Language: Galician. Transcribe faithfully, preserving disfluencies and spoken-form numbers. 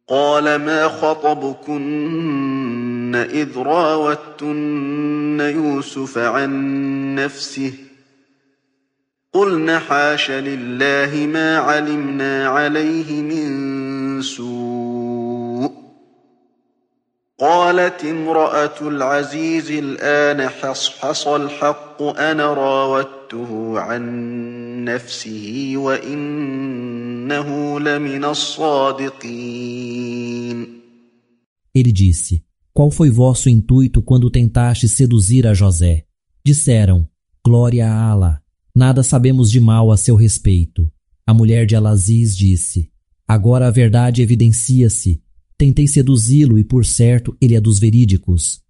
قال ما خطبكن إذ راوتن يوسف عن نفسه قلن حاش لله ما علمنا عليه من سوء قالت امرأة العزيز الآن حصحص الحق أنا راودته عن نفسه وإنه لمن الصادقين. Ele disse: Qual foi vosso intuito quando tentaste seduzir a José? Disseram: Glória a Allah, nada sabemos de mal a seu respeito. A mulher de Al-Aziz disse: Agora a verdade evidencia-se. Tentei seduzi-lo e, por certo, ele é dos verídicos.